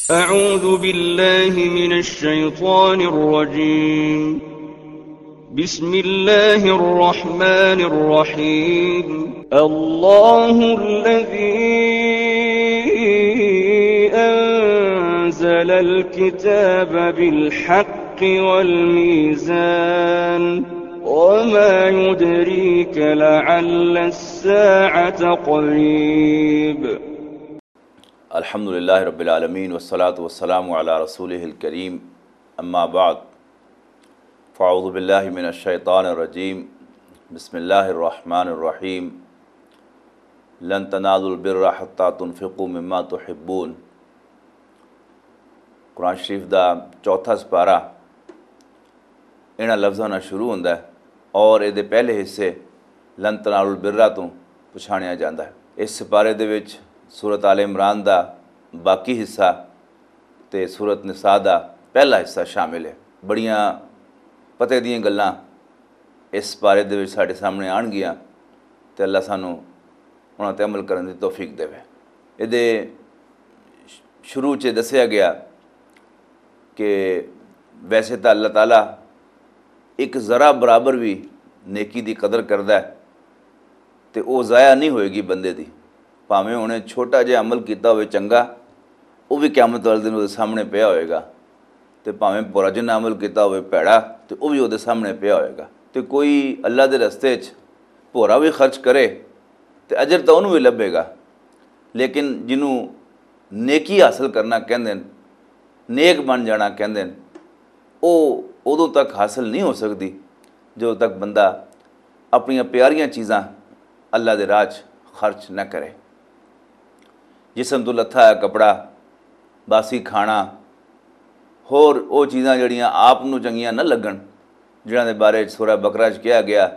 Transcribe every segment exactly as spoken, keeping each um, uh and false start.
أعوذ بالله من الشيطان الرجيم. بسم الله الرحمن الرحيم. الله الذي أنزل الكتاب بالحق والميزان. وما يدريك لعل الساعة قريب. الحمد لله رب العالمين، والصلاة والسلام على رسوله الكريم، أما بعد، فأعوذ بالله من الشيطان الرجيم، بسم الله الرحمن الرحيم، لن تنالوا البر حتى تنفقوا مما تحبون۔ قرآن شریف دا چوتھا سپارہ انہاں لفظاں نال شروع ہوندا ہے اور اے دے پہلے حصے لن تنالوا البرا توں پچھانیا جاندا ہے۔ اس سپارے دے وچ سورت آل عمران دا باقی حصہ تے سورت نساء دا پہلا حصہ شامل ہے۔ بڑیاں پتے دیاں گلاں اس سپارے دے وچ ساڈے سامنے آن گیاں تے اللہ سانوں انہاں تے عمل کرن دی توفیق دے۔ اے دے شروع چ دسیا گیا کہ ویسے تاں اللہ تعالیٰ ایک ذرا برابر وی نیکی دی قدر کردا ہے تے او ضائع نہیں ہوئے گی بندے دی۔ بھاویں انہیں چھوٹا جہا عمل کیتا ہوئے چنگا، او وی قیامت والے دن اودے سامنے پیا ہوئے گا۔ تے بھاویں بھورا جنہ عمل کیتا ہوئے بھیڑا، تے او وی اودے سامنے پیا ہوئے گا۔ تے کوئی اللہ دے رستے چ بھورا وی خرچ کرے تے اجر تاں انہوں وی لبھے گا، لیکن جنوں نیکی حاصل کرنا کہندے نے، نیک بن جانا کہندے نے، او ادوں تک حاصل نہیں ہو سکدی جدوں تک بندہ اپنیاں پیاریاں چیزاں اللہ دے راہ چ خرچ نہ کرے۔ جسم تو لتھا ہے کپڑا، باسی کھانا، ہور او چیزاں جڑیاں آپ نوں چنگیاں نہ لگن، جنہاں دے بارے سورہ بقرہ چ کہا گیا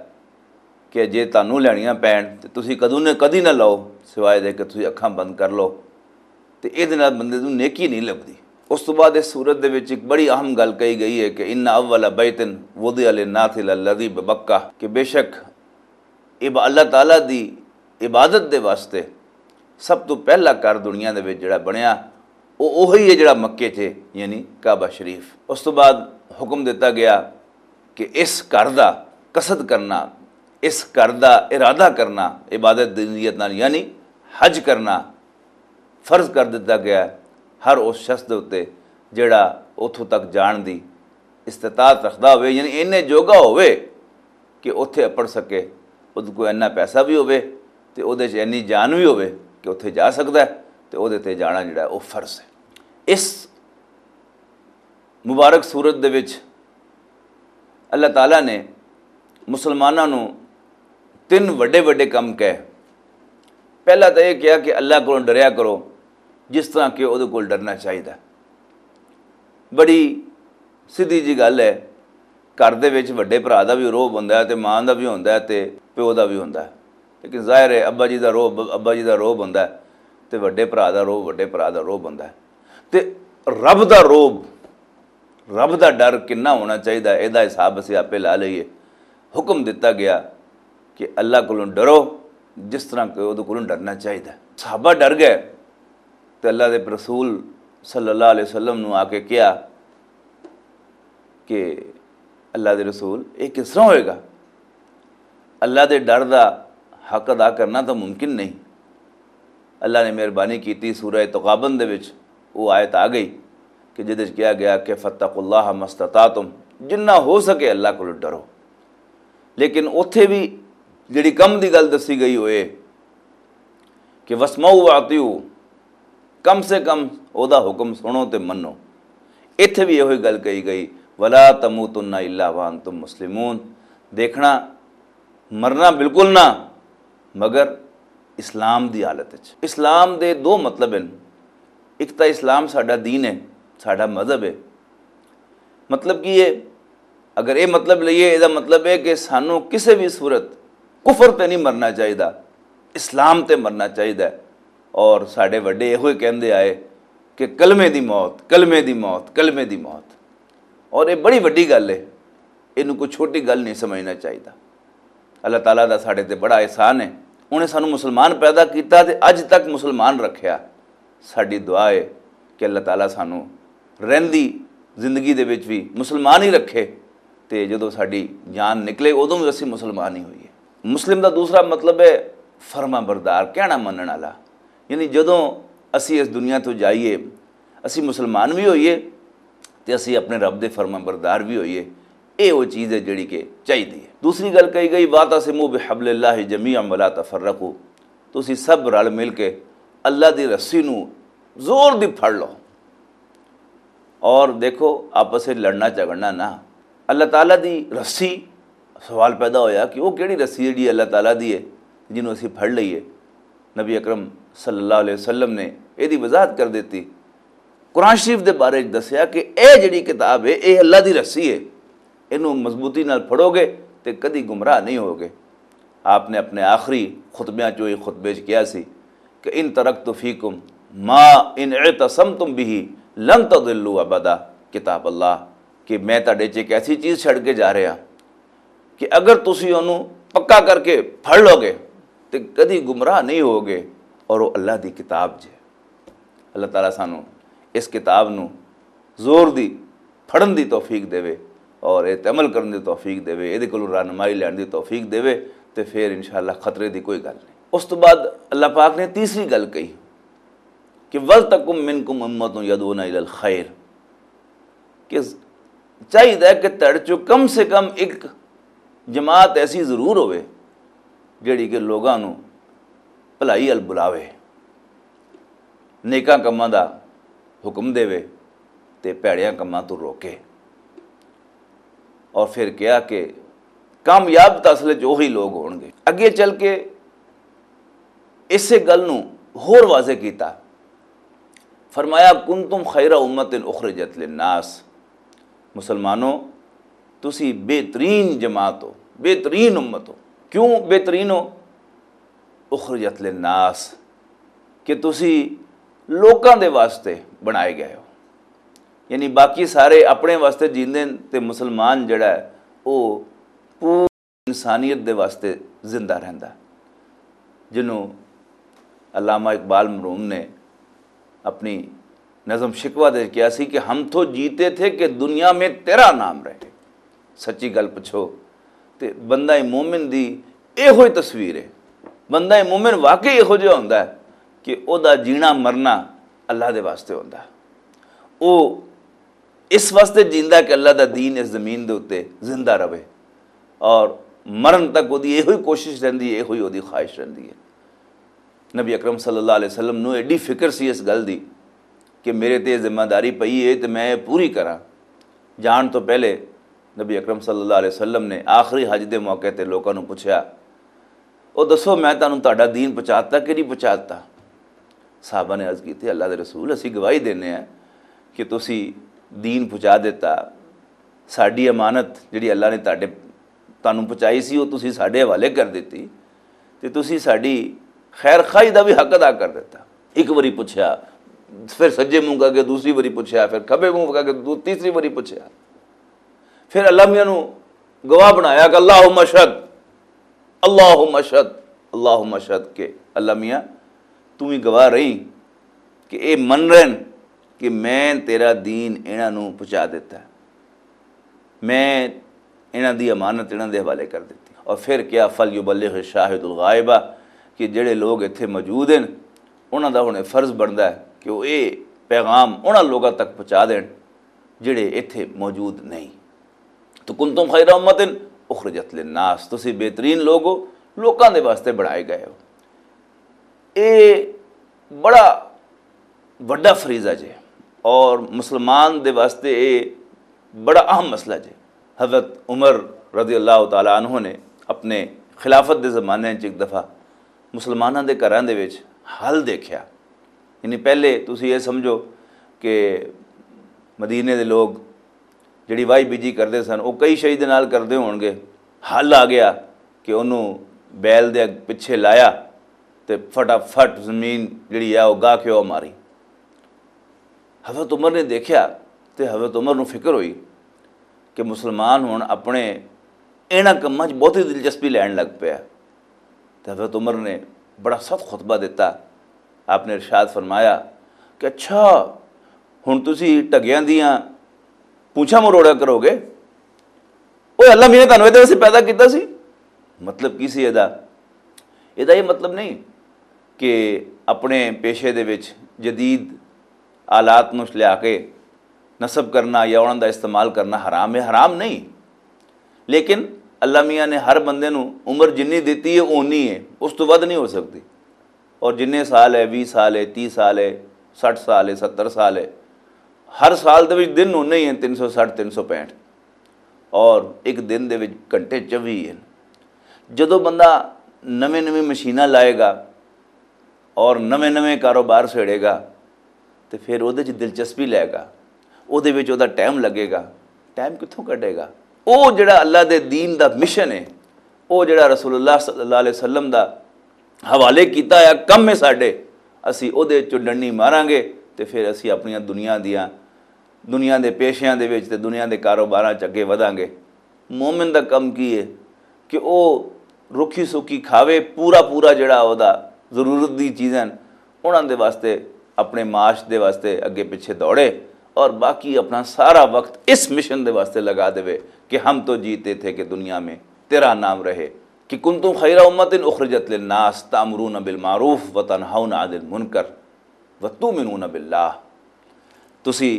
کہ جے تانوں لینیاں پین تے تسی کدوں نے کدی نہ لو، سوائے دے کہ تسی اکھاں بند کر لو۔ تے اے دے نال بندے نوں نیکی نہیں لبدی۔ اس تو بعد اس سورت دے وچ ایک بڑی اہم گل کہی گئی ہے کہ ان اول بیت وضع للناس للذی ببکہ، کہ بے شک عب-، اللہ تعالیٰ دی عبادت دے واسطے سب تو پہلا گھر دنیا دے وچ جڑا بنیا، او اوہی ہے جڑا مکے چ، یعنی کعبہ شریف۔ اس تو بعد حکم دتا گیا کہ اس گھر دا قصد کرنا، اس گھر دا ارادہ کرنا، عبادت دی نیت نال، یعنی حج کرنا، فرض کر دتا گیا ہے ہر اس شخص دے اُتے جڑا اتھوں تک جان دی استطاعت رکھدا ہوئے، یعنی اینے جوگا ہوئے کہ اتھے اپڑ سکے، اودے کوئی اینا پیسہ بھی ہوئے تے اودے چ اینی جان بھی ہوئے کہ اتھے جا سکدا ہے، تے اودے تے جانا جڑا ہے او فرض ہے۔ اس مبارک صورت دے وچ اللہ تعالیٰ نے مسلماناں نوں تن وڈے وڈے کم کہے۔ پہلا تاں یہ کہا کہ اللہ کولوں ڈریا کرو، جس طرح کہ اودے کول ڈرنا چاہیدا۔ بڑی سیدھی جی گل ہے، گھر دے وچ وڈے بھرا دا بھی روب ہوندا ہے تے ماں دا بھی ہوندا ہے تے پیو دا بھی ہوندا ہے۔ لیکن ظاہر ہے ابا جی دا روب ابا جی دا روب ہوندا ہے تے وڈے بھرا دا روب وڈے بھرا دا روب ہوندا ہے۔ تے رب دا روب، رب دا ڈر کنا ہونا چاہیدا ہے، ایہدا حساب اسی آپے لا لئیے۔ حکم دتا گیا کہ اللہ کولوں ڈرو، جس طرح کہ اودے کولوں ڈرنا چاہیدا ہے۔ صحابہ ڈر گئے تے اللہ دے رسول صلی اللہ علیہ وسلم نوں آ کے کہیا کہ اللہ دے رسول، یہ کس طرح ہوئے گا؟ اللہ دے ڈر دا حق ادا کرنا تاں ممکن نہیں۔ اللہ نے مہربانی کیتی، سورہ تغابن دے وچ وہ آیت آ گئی کہ جدے وچ کہا گیا کہ فاتقوا اللہ ما استطعتم، جنہ ہو سکے اللہ کولوں ڈرو۔ لیکن اوتھے بھی جڑی کم دی گل دسی گئی ہوئے کہ واسمعوا واطیعوا، کم سے کم اودا حکم سنو تے منو۔ ایتھے بھی ایہو ہی گل کہی گئی، ولا تموتن الا وانتم مسلمون۔ دیکھنا، مرنا بالکل نہ، مگر اسلام دی حالت وچ۔ اسلام دے دو مطلب ہیں۔ ایک تاں اسلام ساڈا دین ہے، ساڈا مذہب ہے۔ مطلب کی ہے؟ اگر یہ مطلب لئیے، یہ مطلب ہے کہ سانو کسے بھی صورت کفر تے نہیں مرنا چاہیدا، اسلام تے مرنا چاہیدا ہے۔ اور ساڈے وڈے یہ ہوئے کہندے آئے کہ کلمے دی موت، کلمے دی موت، کلمے دی موت۔ اور یہ بڑی وڈی گل ہے، یہ کوئی چھوٹی گل نہیں سمجھنا چاہیدا۔ اللہ تعالیٰ دا ساڈے تے بڑا احسان ہے، انہیں سانو مسلمان پیدا کیتا تے اج تک مسلمان رکھیا۔ ساڈی دعا ہے کہ اللہ تعالیٰ سانو رہندی زندگی دے وچ بھی مسلمان ہی رکھے، تے جدوں ساڈی جان نکلے، ادوں بھی اسی مسلمان ہی ہوئیے۔ مسلم دا دوسرا مطلب ہے فرما بردار، کہنا منن والا۔ یعنی جدوں اسی اس دنیا تو جائیے، اسی مسلمان بھی ہوئیے تے اسی اپنے رب دے فرما بردار بھی ہوئیے۔ اے وہ چیز ہے جڑی کہ چاہیدی ہے۔ دوسری گل کہی گئی، "واعتصموا بحبل اللہ جمیعا ولا تفرقوا"، تسی سب رل مل کے اللہ دی رسی نو زور دی پھڑ لو۔ اور دیکھو، آپس وچ لڑنا جھگڑنا نہ۔ اللہ تعالیٰ دی رسی، سوال پیدا ہویا کہ وہ کیڑی رسی ہے جڑی اللہ تعالیٰ دی ہے، جنوں اسی پھڑ لئیے؟ نبی اکرم صلی اللہ علیہ وسلم نے ایہدی وضاحت کر دتی۔ قرآن شریف دے بارے وچ دسیا کہ اے جڑی کتاب ہے، اے اللہ دی رسی ہے، اینوں مضبوطی نال پھڑو گے تے کدی گمراہ نہیں ہوگے۔ آپ نے اپنے آخری خطبیاں چوں ایک خطبے وچ کہیا سی کہ "ان ترکت فیکم ما ان اعتصمتم به لن تضلوا ابدا"، کتاب اللہ، کہ میں تہاڈے چ ایک ایسی چیز چھڈ کے جا رہا کہ اگر تسی اونوں پکا کر کے پھڑ لو گے تے کدی گمراہ نہیں ہوگے۔ اور وہ اللہ دی کتاب جے۔ اللہ تعالیٰ سانوں اس کتاب نوں زور دی پڑھن دی توفیق دیوے اور ایہہ تے عمل کرن دی توفیق دیوے، ایہدے کولوں رہنمائی لین دی توفیق دیوے، تے پھر انشاءاللہ خطرے دی کوئی گل نہیں۔ اس تو بعد اللہ پاک نے تیسری گل کہی کہ "ولتکم منکم امۃ یدعون الی الخیر"، کہ چاہیدا ہے کہ تہاڈے چوں کم سے کم ایک جماعت ایسی ضرور ہوئے جڑی کہ لوگاں نوں بھلائی ال بلاوے، نیکاں کماں دا حکم دے تے پیڑیاں کماں تو روکے۔ اور پھر کہا کہ کامیاب تاں اصل وچ وہی لوگ ہون گے۔ اگے چل کے اسے گل نوں ہور واضح کیتا، فرمایا، "کنتم خیر امت اخرجت للناس"، مسلمانوں، تسی بہترین جماعت ہو، بہترین امت ہو۔ کیوں بہترین ہو؟ اخرجت للناس، کہ تسی لوکاں دے واسطے بنائے گئے ہو۔ یعنی باقی سارے اپنے واسطے جیندے نے تے مسلمان جڑا ہے، او پوری انسانیت دے واسطے زندہ رہندا۔ جنوں علامہ اقبال مرحوم نے اپنی نظم شکوہ دے کہیا سی کہ "ہم تو جیتے تھے کہ دنیا میں تیرا نام رہے۔" سچی گل پچھو تے بندہ مومن دی ایہو ہی تصویر ہے۔ بندہ مومن واقعی ایہو جہا ہوندا ہے کہ او دا جینا مرنا اللہ دے واسطے ہوندا ہے۔ او اس واسطے جیندا ہے کہ اللہ دا دین اس زمین دے اُتے زندہ رہے، اور مرن تک او دی ایہو ہی کوشش رہندی ہے، ایہو ہی او دی خواہش رہندی ہے۔ نبی اکرم صلی اللہ علیہ وسلم نوں ایڈی فکر سی اس گل دی کہ میرے تے ذمہ داری پئی ہے تے میں یہ پوری کراں۔ جان تو پہلے نبی اکرم صلی اللہ علیہ وسلم نے آخری حج دے موقع تے لوکاں نوں پوچھیا، "او دسو، میں تانوں تہاڈا دین پہنچا دتا کہ نہیں پہنچا دتا؟" صحابہ نے عرض کی تھی، "اللہ دے رسول، اسی گواہی دینے ہیں کہ تسی دین پہنچا دیتا، ساڈی امانت جڑی اللہ نے تہاڈے تانوں پہنچائی سی، وہ تسی ساڈے حوالے کر دتی، تے تسی ساڈی خیر خواہی دا بھی حق ادا کر دتا۔" ایک واری پوچھیا، پھر سجے منہ کر کے دوسری واری پوچھیا، پھر کھبے منہ کر کے دو تیسری واری پوچھیا، پھر اللہ میاں نو گواہ بنایا کہ "اللہم اشہد، اللہم اشہد، اللہم اشہد"، کہ اللہ میاں، تو ہی گواہ رہی کہ اے من رہن کہ میں تیرا دین انہاں نو پہنچا دیتا ہے، میں انہاں دی امانت انہاں دے حوالے کر دیتی۔ اور پھر کیا، "فلیبلغ الشاہد الغائبہ"، کہ جڑے لوگ اتھے موجود ہیں، انہاں دا ہن فرض بندا ہے کہ وہ اے پیغام انہاں لوگاں تک پہنچا دین جڑے اتھے موجود نہیں۔ تو "کنتم خیر امت اخرجت للناس"، تسی بہترین لوگ ہو، لوکاں دے واسطے بنائے گئے ہو۔ اے بڑا وڈا فریضہ جے، اور مسلمان دے واسطے اے بڑا اہم مسئلہ جے۔ حضرت عمر رضی اللہ تعالیٰ عنہ نے اپنے خلافت دے زمانے وچ ایک دفعہ مسلماناں دے گھراں دے وچ حل دیکھیا۔ یعنی پہلے تسی یہ سمجھو کہ مدینے دے لوگ جڑی واہی بیجی کردے سن، وہ کئی شہید نال کردے ہون گے۔ حل آ گیا کہ انہوں بیل دے پچھے لایا تے فٹافٹ زمین جڑی ہے، وہ گاہ کے وہ ماری۔ حضرت عمر نے دیکھیا تے حضرت عمر نو فکر ہوئی کہ مسلمان ہن اپنے انہاں کماں 'چ بہت ہی دلچسپی لین لگ پیا۔ تے حضرت عمر نے بڑا سخت خطبہ دیتا۔ آپ نے ارشاد فرمایا کہ اچھا، ہن تسی ٹگیاں دیاں پوچھاں مروڑا کرو گے؟ اوہ اللہ میاں نے تانوں ایہدے واسطے پیدا کیتا سی۔ مطلب کی سی ایہدا؟ ایہدا ایہہ مطلب نہیں کہ اپنے پیشے دے وچ جدید آلات نوں لیا کے نصب کرنا یا انہاں دا استعمال کرنا حرام ہے، حرام نہیں۔ لیکن اللہ میاں نے ہر بندے نوں عمر جنی دتی ہے، اونی ہے، اس تو ود نہیں ہو سکتی۔ اور جنہیں سال ہے، ویہہ سال ہے، تیہہ سال ہے، سٹھ سال ہے، ستر سال ہے، ہر سال دے وچ دن ہونے ہی ہیں تین سو سٹھ، تین سو پینٹھ۔ اور ایک دن دے وچ گھنٹے چوی ہیں۔ جدوں بندہ نویں نویں مشیناں لائے گا اور نویں نویں کاروبار سیڑے گا، تے پھر اودے چ دلچسپی لے گا، اودے وچ اودا ٹائم لگے گا۔ ٹائم کتھوں کڈے گا؟ او جڑا اللہ دے دین دا مشن ہے، او جڑا رسول اللہ صلی اللہ علیہ وسلم دا حوالے کیتا ہویا کم ہے ساڈے، اسی اودے چوں ڈنڈی ماراں گے، تے پھر اسی اپنیاں دنیا دیاں، دنیا دے پیشیاں دے وچ تے دنیا دے کاروباراں چ اگے ودھاں گے۔ مومن دا کم کی ہے کہ او رکھی سکی کھاوے، پورا پورا جڑا او دا ضرورت دی چیزاں انہاں دے واسطے، اپنے معاش دے واسطے اگے پچھے دوڑے، اور باقی اپنا سارا وقت اس مشن دے واسطے لگا دے کہ ہم تو جیتے تھے کہ دنیا میں تیرا نام رہے۔ کہ کنتم خیر امت اخرجت للناس تامرون بالمعروف وتنہون عن المنکر وتؤمنون باللہ۔ تسی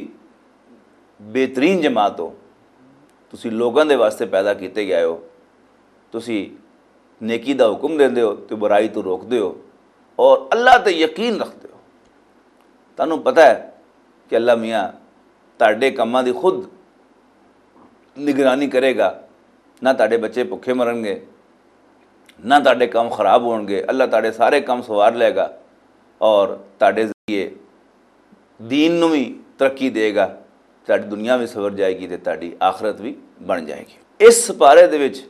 بہترین جماعت ہو، تسی لوگاں دے واسطے پیدا کیتے گئے ہو، تسی نیکی دا حکم دیندے ہو تے برائی تو روکدے ہو، اور اللہ تے یقین رکھدے ہو۔ تانوں پتہ ہے کہ اللہ میاں تہاڈے کماں دی خود نگرانی کرے گا، نہ تہاڈے بچے بھکھے مرن گے، نہ تہاڈے کم خراب ہون گے، اللہ تہاڈے سارے کم سوار لے گا اور تہاڈے ذریعے دین نوں وی ترقی دے گا، تہاڈی دنیا وی سنور جائے گی تے تہاڈی آخرت وی بن جائے گی۔ اس سپارے دے وچ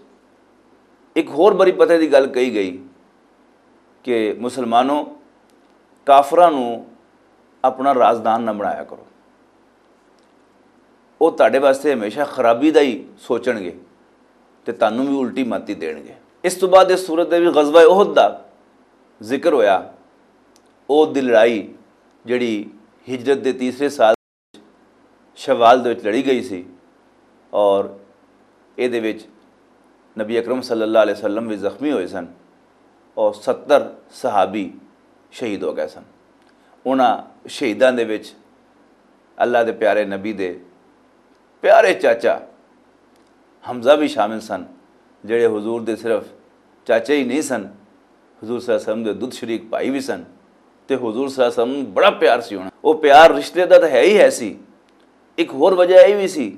ایک ہور بڑی پتے دی گل کہی گئی کہ مسلمانوں، کافراں نوں اپنا رازدان نہ بنایا کرو۔ وہ تہاڈے واسطے ہمیشہ خرابی دا ہی سوچن گے تے تانوں بھی الٹی ماتی دین گے۔ اس تو بعد اس صورت دے بھی غزوہ احد دا ذکر ہویا۔ او دی لڑائی جڑی ہجرت دے تیسرے سال شوال دے وچ لڑی گئی سی، اور اے دے وچ نبی اکرم صلی اللہ علیہ وسلم بھی زخمی ہوئے سن، اور ستر صحابی شہید ہو گئے سن۔ انہاں شہیداں دے وچ اللہ دے پیارے نبی دے پیارے چاچا حمزہ بھی شامل سن، جڑے حضور دے صرف چاچے ہی نہیں سن، حضور صلی اللہ علیہ وسلم دے دودھ شریک بھائی بھی سن۔ تے حضور صلی اللہ علیہ وسلم بڑا پیار سی ہونا۔ وہ پیار رشتے دا تو ہے ہی ہے سی۔ ایک ہور وجہ یہ بھی سی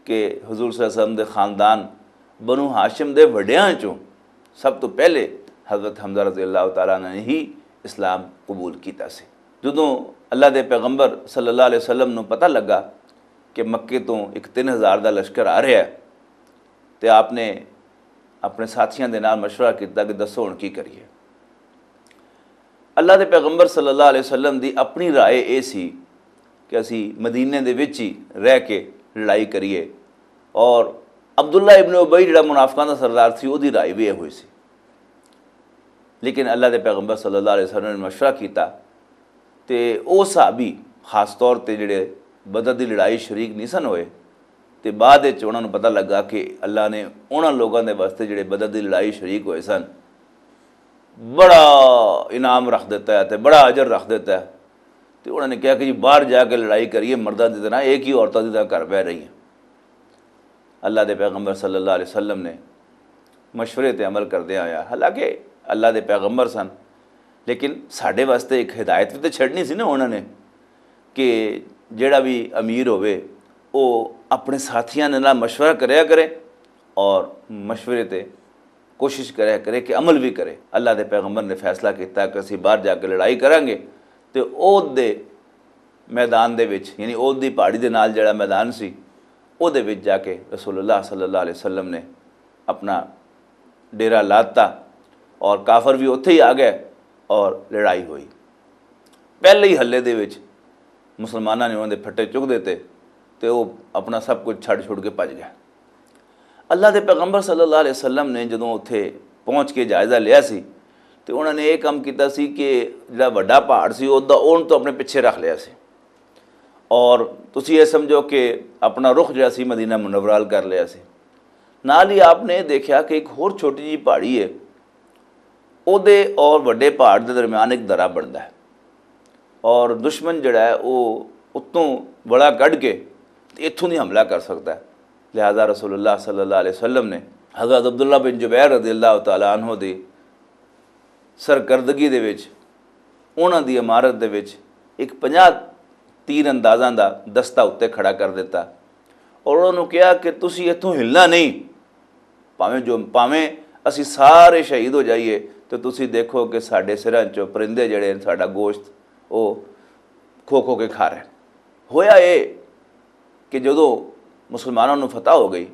کہ حضور صلی اللہ علیہ وسلم دے خاندان بنو ہاشم دے وڈیاں چوں سب تو پہلے حضرت حمزہ رضی اللہ تعالیٰ نے ہی اسلام قبول کیتا سی۔ جدوں اللہ دے پیغمبر صلی اللہ علیہ وسلم نوں پتہ لگا کہ مکے تو ایک تین ہزار دا لشکر آ رہا ہے، تے آپ نے اپنے ساتھیاں دے نال مشورہ کیتا کہ دسو ہن کی کریے۔ اللہ دے پیغمبر صلی اللہ علیہ وسلم دی اپنی رائے اے سی کہ اسی مدینے دے وچ ہی رہ کے لڑائی کریے، اور عبداللہ ابن ابی جڑا منافقاں دا سردار سی، او دی رائے بھی اے ہوئی سی۔ لیکن اللہ دے پیغمبر صلی اللہ علیہ وسلم نے مشورہ کیتا، تے او صحابی خاص طور تے جڑے بدر دی لڑائی شریک نہیں سن ہوئے، تے بعد وچ انہاں نوں پتہ لگا کہ اللہ نے انہاں لوگاں دے واسطے جڑے بدر دی لڑائی شریک ہوئے سن، بڑا انعام رکھ دیتا ہے تے بڑا اجر رکھ دیتا ہے۔ تے انہاں نے کہا کہ جی باہر جا کے لڑائی کریے، مرداں دی طرح، ایک ہی عورتاں دی طرح گھر بہ رہی ہیں۔ اللہ دے پیغمبر صلی اللہ علیہ وسلم نے مشورے تے عمل کردے آیا، حالانکہ اللہ دے پیغمبر سن، لیکن ساڈے واسطے ایک ہدایت بھی تے چھڑنی سی نا انہاں نے کہ جڑا بھی امیر ہووے، او اپنے ساتھیاں دے نال مشورہ کریا کرے اور مشورے تے کوشش کریا کرے کہ عمل بھی کرے۔ اللہ دے پیغمبر نے فیصلہ کیتا کہ اسی باہر جا کے لڑائی کریں گے، تے اوہد دے میدان دے وچ، یعنی اوہد دی پہاڑی دے نال جڑا میدان سی، اوہدے وچ جا کے رسول اللہ صلی اللہ علیہ وسلم نے اپنا ڈیرا لاتا اور کافر بھی اتھے ہی آ گئے اور لڑائی ہوئی۔ پہلے ہی حلے دے وچ مسلماناں نے انہاں دے پھٹے چک دیتے تے وہ اپنا سب کچھ چھڈ چھڈ کے بھج گیا۔ اللہ دے پیغمبر صلی اللہ علیہ وسلم نے جدوں اتھے پہنچ کے جائزہ لیا سی تے انہاں نے یہ کام کیتا سی کہ جڑا وڈا پہاڑ سی، او دا اون تو اپنے پیچھے رکھ لیا سی۔ اور تسی یہ سمجھو کہ اپنا رخ جڑا سی مدینہ منورہ ال کر لیا سی۔ نال ہی آپ نے یہ دیکھیا کہ ایک ہور چھوٹی جی پہاڑی ہے، او دے اور وڈے پہاڑ دے درمیان ایک درا بندا ہے، اور دشمن جڑا ہے وہ اتوں وڑا کڈ کے اتوں دی حملہ کر سکدا ہے۔ لہذا رسول اللہ صلی اللہ علیہ وسلم نے حضرت عبداللہ بن جبیر رضی اللہ تعالیٰ عنہ دی سرکردگی دے وچ، انہاں دی عمارت دے وچ ایک پنجاہ تیر اندازاں دا دستہ اُتے کھڑا کر دتا، اور انہاں نوں کہیا کہ تسی اتھوں ہلنا نہیں، پاویں جو پاویں اسی سارے شہید ہو جائیے، تے تسی دیکھو کہ ساڈے سراں چوں پرندے جڑے ہن، ساڈا گوشت او کھو کھو کے کھا رہے ہن۔ ہویا اے کہ جدوں مسلماناں نوں فتح ہو گئی،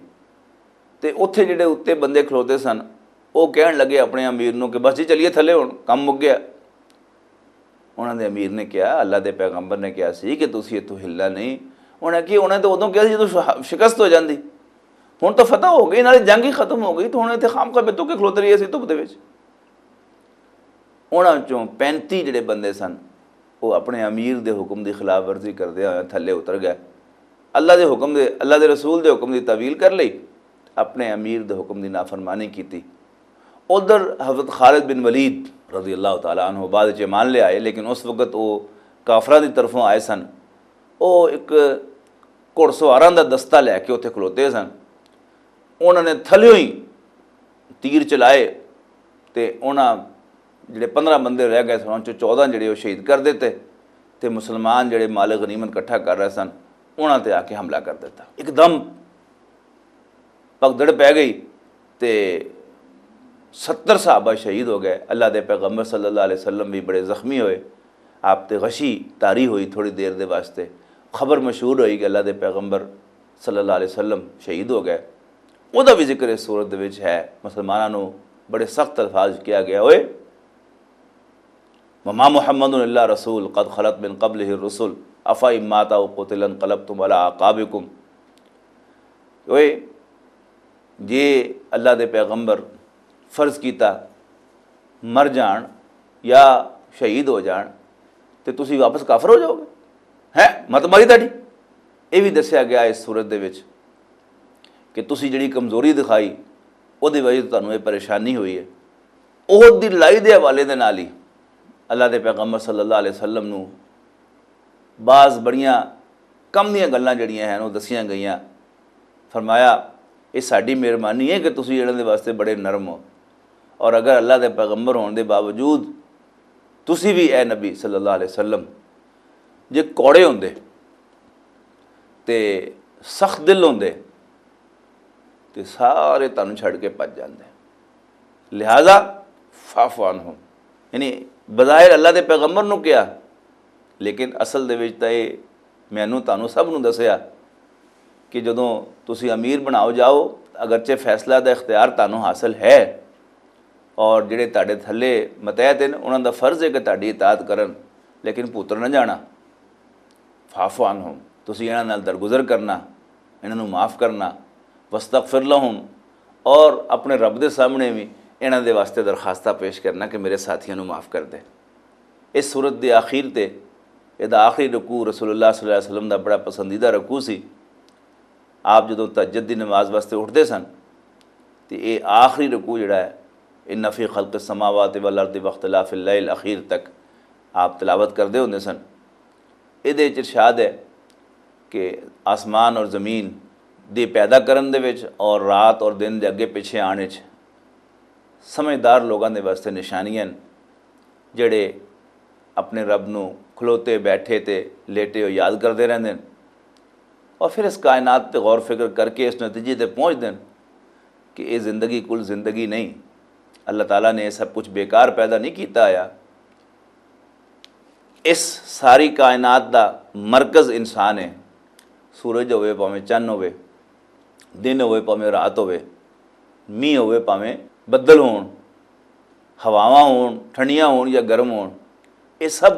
تے اوتھے جڑے اُتے بندے کھلوتے سن، او کہن لگے اپنے امیر نوں کہ بس جی چلیے تھلے، ہن کم مک گیا۔ انہاں دے امیر نے کہا، اللہ دے پیغمبر نے کہا سی کہ تسی اتھوں ہلنا نہیں۔ انہاں کی، انہاں تے ادوں کہا سی جدوں شہ- شکست ہو جاندی، ہن تو فتح ہو گئی، نالے جنگ ہی ختم ہو گئی، تو ہن اتھے خام خام اتھوں کے کھلوتے رہیے سی دھپ دے وچ۔ انہاں چوں پینتی جڑے بندے سن، وہ اپنے امیر دے حکم دی خلاف ورزی کردے ہوئے تھلے اتر گئے۔ اللہ دے حکم دے، اللہ دے رسول دے حکم دی تعویل کر لئی، اپنے امیر دے حکم دی نافرمانی کیتی۔ ادھر حضرت خالد بن ولید رضی اللہ تعالیٰ عنہ بعد وچ ایمان لے آئے، لیکن اس وقت وہ کافراں دی طرفوں آئے سن۔ وہ ایک گھڑ سواراں دا دستہ لے کے اتھے کھلوتے سن۔ انہاں نے تھلیوں ہی تیر چلائے، تے انہاں جڑے پندرہ بندے رہ گئے سن، انہاں چوں چودہ جڑے وہ شہید کر دیتے، تے مسلمان جڑے مال غنیمت اکٹھا کر رہے سن، انہاں تے آ کے حملہ کر دیتا۔ ایک دم پگدڑ پہ گئی، تے ستر صحابہ شہید ہو گئے۔ اللہ دے پیغمبر صلی اللہ علیہ وسلم بھی بڑے زخمی ہوئے۔ آپ تے غشی طاری ہوئی تھوڑی دیر دے واسطے۔ خبر مشہور ہوئی کہ اللہ دے پیغمبر صلی اللہ علیہ وسلم شہید ہو گئے۔ او دا بھی ذکر اس صورت دے وچ ہے۔ مسلماناں نوں بڑے سخت الفاظ کیا گیا ہوئے، وما محمد الا رسول قد خلت من قبلہ الرسل افا اماتا و قتل انقلبتم علی اعقابکم۔ اوئے، جے اللہ دے پیغمبر فرض کیتا مر جان یا شہید ہو جان، تے تسی واپس کافر ہو جاؤ گے؟ ہیں؟ مت ماری تہاڈی۔ یہ بھی دسیا گیا اس صورت دے وچ کہ تسی جڑی کمزوری دکھائی، او دی وجہ تو تانوں یہ پریشانی ہوئی ہے۔ احد دی لڑائی دے حوالے دے نال ہی اللہ دے پیغمبر صلی اللہ علیہ وسلم نوں بعض بڑیاں کم دیاں گلاں جڑیاں ہن، او دسیاں گئیاں۔ فرمایا، یہ ساڈی مہربانی ہے کہ تسی انہاں دے واسطے بڑے نرم ہو، اور اگر اللہ دے پیغمبر ہون دے باوجود تسی بھی، اے نبی صلی اللہ علیہ وسلم، جے کوڑے ہوندے تے سخت دل ہوندے، تے سارے تانوں چھڈ کے پج جاندے۔ لہذا فاعف عنہم، یعنی بظاہر اللہ دے پیغمبر نوں کیا، لیکن اصل دے وچ تاں اے مینوں تانوں سب نوں دسیا کہ جدوں تسی امیر بناؤ جاؤ، اگرچہ فیصلہ دا اختیار تانوں حاصل ہے، اور جڑے تہاڈے تھلے متحد ہیں، انہاں دا فرض ہے کہ تہاڈی اطاعت کرن، لیکن پتر نہ جانا۔ فاعف عنہم، تسی انہاں نال درگزر کرنا، انہاں نوں معاف کرنا۔ واستغفر لہم، اور اپنے رب دے سامنے بھی انہاں دے واسطے درخواستہ پیش کرنا کہ میرے ساتھیاں نوں معاف کر دے۔ اس صورت دے آخر تے، اے دا آخری رکوع رسول اللہ صلی اللہ علیہ وسلم دا بڑا پسندیدہ رکوع سی۔ آپ جدوں تہجد دی نماز واسطے اٹھدے سن، تے اے آخری رکوع جڑا ہے، ان فی خلق السماوات والارض واختلاف اللیل الاخیر تک آپ تلاوت کردے ہوندے سن۔ اے دے وچ ارشاد ہے کہ آسمان اور زمین دے پیدا کرن دے وچ اور رات اور دن دے اگے پیچھے آن وچ سمجھدار لوگاں دے واسطے نشانیاں ہن، جڑے اپنے رب نوں کھلوتے، بیٹھے تے لیٹے ہوئے یاد کردے رہندے ہن، اور پھر اس کائنات تے غور فکر کر کے اس نتیجے تے پہنچدے ہن کہ اے زندگی کل زندگی نہیں۔ اللہ تعالیٰ نے یہ سب کچھ بیکار پیدا نہیں کیتا ہویا۔ اس ساری کائنات دا مرکز انسان ہے۔ سورج ہوئے، پاویں چن ہوئے، دن ہوئے، پاویں رات ہوئے، مینہ ہوئے، پاویں بدل ہون، ہواواں ہون، ٹھنڈیاں ہون یا گرم ہون، یہ سب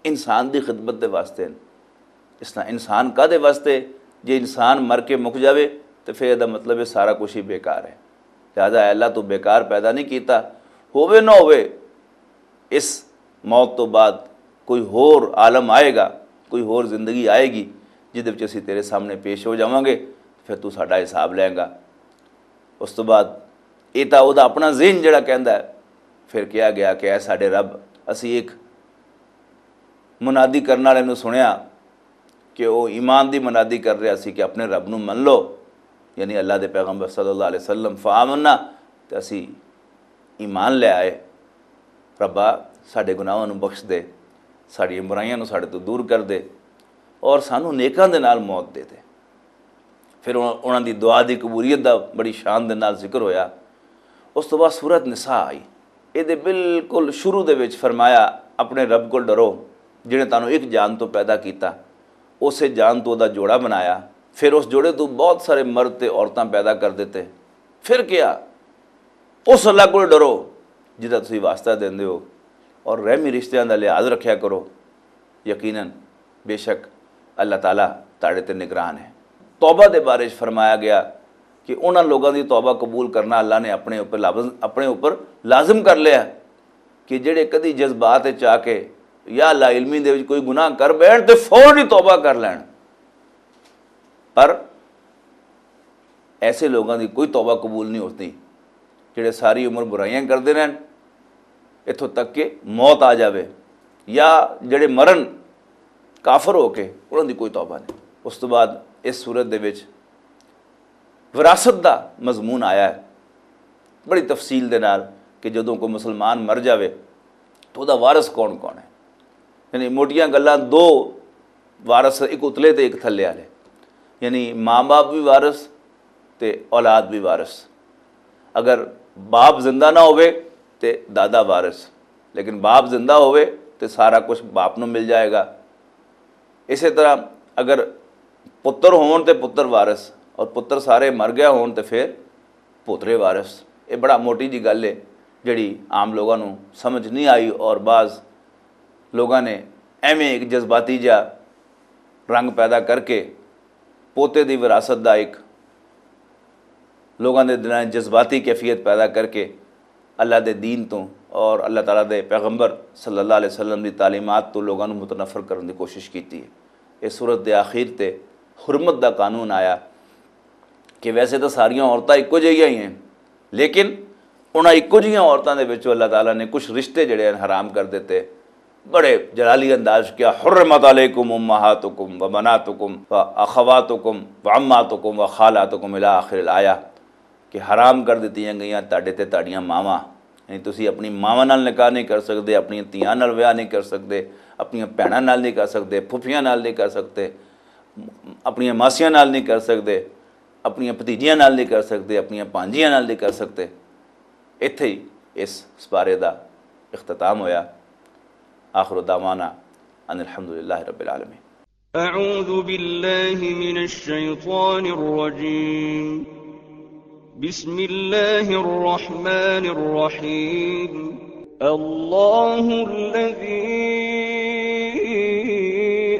انسان دی خدمت دے واسطے ہیں۔ اس طرح انسان کا دے واسطے؟ جے انسان مر کے مک جاوے، تے پھر یہ مطلب ہے سارا کچھ ہی بیکار ہے۔ لہذا اے اللہ تو بیکار پیدا نہیں کیتا۔ ہووے نہ ہووے، اس موت تو بعد کوئی ہور عالم آئے گا، کوئی ہور زندگی آئے گی جس دے وچ اسی تیرے سامنے پیش ہو جاواں گے، پھر تو ساڈا حساب لیں گا۔ اس تو بعد یہ تو وہ اپنا ذہن جڑا کہندا ہے، پھر کہا گیا کہ اے ساڈے رب، اسی ایک منادی کرن والے نوں سنیا کہ وہ ایمان دی منادی کر رہا سی کہ اپنے رب نوں من لو، یعنی اللہ دے پیغمبر صلی اللہ علیہ وسلم، فآمنا، تے اسی ایمان لے آئے۔ ربا، ساڈے گناہاں نوں بخش دے، ساڈیاں برائیاں نوں ساڈے تو دور کر دے اور سانوں نیکاں دے نال موت دے دے۔ پھر انہاں انہاں دی دعا دی قبولیت دا بڑی شان دے نال ذکر ہویا۔ اس تو بعد سورت نساء آئی۔ اے دے بالکل شروع دے وچ فرمایا، اپنے رب کول ڈرو، جنہیں تانوں ایک جان تو پیدا کیتا، اسے جان تو دا جوڑا بنایا، پھر اس جوڑے تو بہت سارے مرد تے عورتاں پیدا کر دیتے۔ پھر کیا؟ اس اللہ کول ڈرو جس دا تسی واسطہ دیندے ہو، اور رحمی رشتیاں دا لحاظ رکھیا کرو۔ یقیناً بے شک اللہ تعالیٰ تاڑے تے نگران ہے۔ توبہ دے بارے چ فرمایا گیا کہ انہاں لوگاں دی توبہ قبول کرنا اللہ نے اپنے اوپر لابز-، اپنے اوپر لازم کر لیا کہ جڑے کدی جذبات وچ آ کے یا لا علمی دے وچ کوئی گناہ کر بیٹھ تے فوراً ہی توبہ کر لین۔ پر ایسے لوگاں دی کوئی توبہ قبول نہیں ہوتی، جڑے ساری عمر برائیاں کردے رہن، اتھوں تک کہ موت آ جاوے، یا جڑے مرن کافر ہو کے، انہاں دی کوئی توبہ نہیں۔ اس تو بعد اس صورت دے وچ وراثت دا مضمون آیا ہے بڑی تفصیل دے نال کہ جدوں کوئی مسلمان مر جاوے تو دا وارث کون کون ہے۔ یعنی موٹیاں گلاں، دو وارث، ایک اتلے تے ایک تھلے والے، یعنی ماں باپ بھی وارث تے اولاد بھی وارث۔ اگر باپ زندہ نہ ہوئے تے دادا وارث، لیکن باپ زندہ ہوئے تے سارا کچھ باپ نوں مل جائے گا۔ اسی طرح اگر پتر ہون تے پتر وارث اور پتر سارے مر گیا ہون تے پھر پوترے وارث۔ یہ بڑا موٹی جی گل ہے جڑی عام لوگاں نوں سمجھ نہیں آئی، اور بعض لوگاں نے ایویں ایک جذباتی جا رنگ پیدا کر کے پوتے دی وراثت دا ایک لوگاں دے دلاں وچ جذباتی کیفیت پیدا کر کے اللہ دے دین تو اور اللہ تعالیٰ دے پیغمبر صلی اللہ علیہ وسلم دی تعلیمات تو لوگاں نوں متنفر کرن دی کوشش کیتی ہے۔ اس صورت دے آخر تے حرمت دا قانون آیا کہ ویسے تو ساریاں عورتاں اکو جہیاں ہی ہیں، لیکن انہاں اکو جہیاں عورتاں دے وچوں اللہ تعالیٰ نے کچھ رشتے جڑے ہیں حرام کر دیتے۔ بڑے جلالی انداز کیا، حرمت علیکم امہاتکم و بناتکم و اخواتکم و عماتکم و خالاتکم الی آخر الآیہ، کہ حرام کر دتیاں گئیاں تہاڈے تے تہاڈیاں ماواں۔ یعنی تسی اپنی ماواں نال نکاح نہیں کر سکدے، اپنی تیاں نال ویاہ نہیں کر سکدے، اپنی بھیناں نال نہیں کر سکدے، پھپھیاں نال نہیں کر سکدے، اپنی ماسیاں نال نہیں کر سکدے، اپنی بھتیجیاں نال نہیں کر سکدے، اپنی پانجیاں نال نہیں کر سکدے۔ ایتھے ہی اس سپارے دا اختتام ہویا۔ آخر دعوانا ان الحمدللہ رب العالمین۔ أعوذ بالله من الشيطان الرجيم. بسم الله الرحمن الرحيم. الله الذي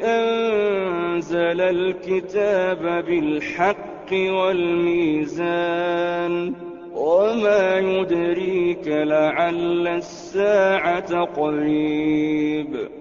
أنزل الكتاب بالحق والميزان. وما يدريك لعل الساعة قريب.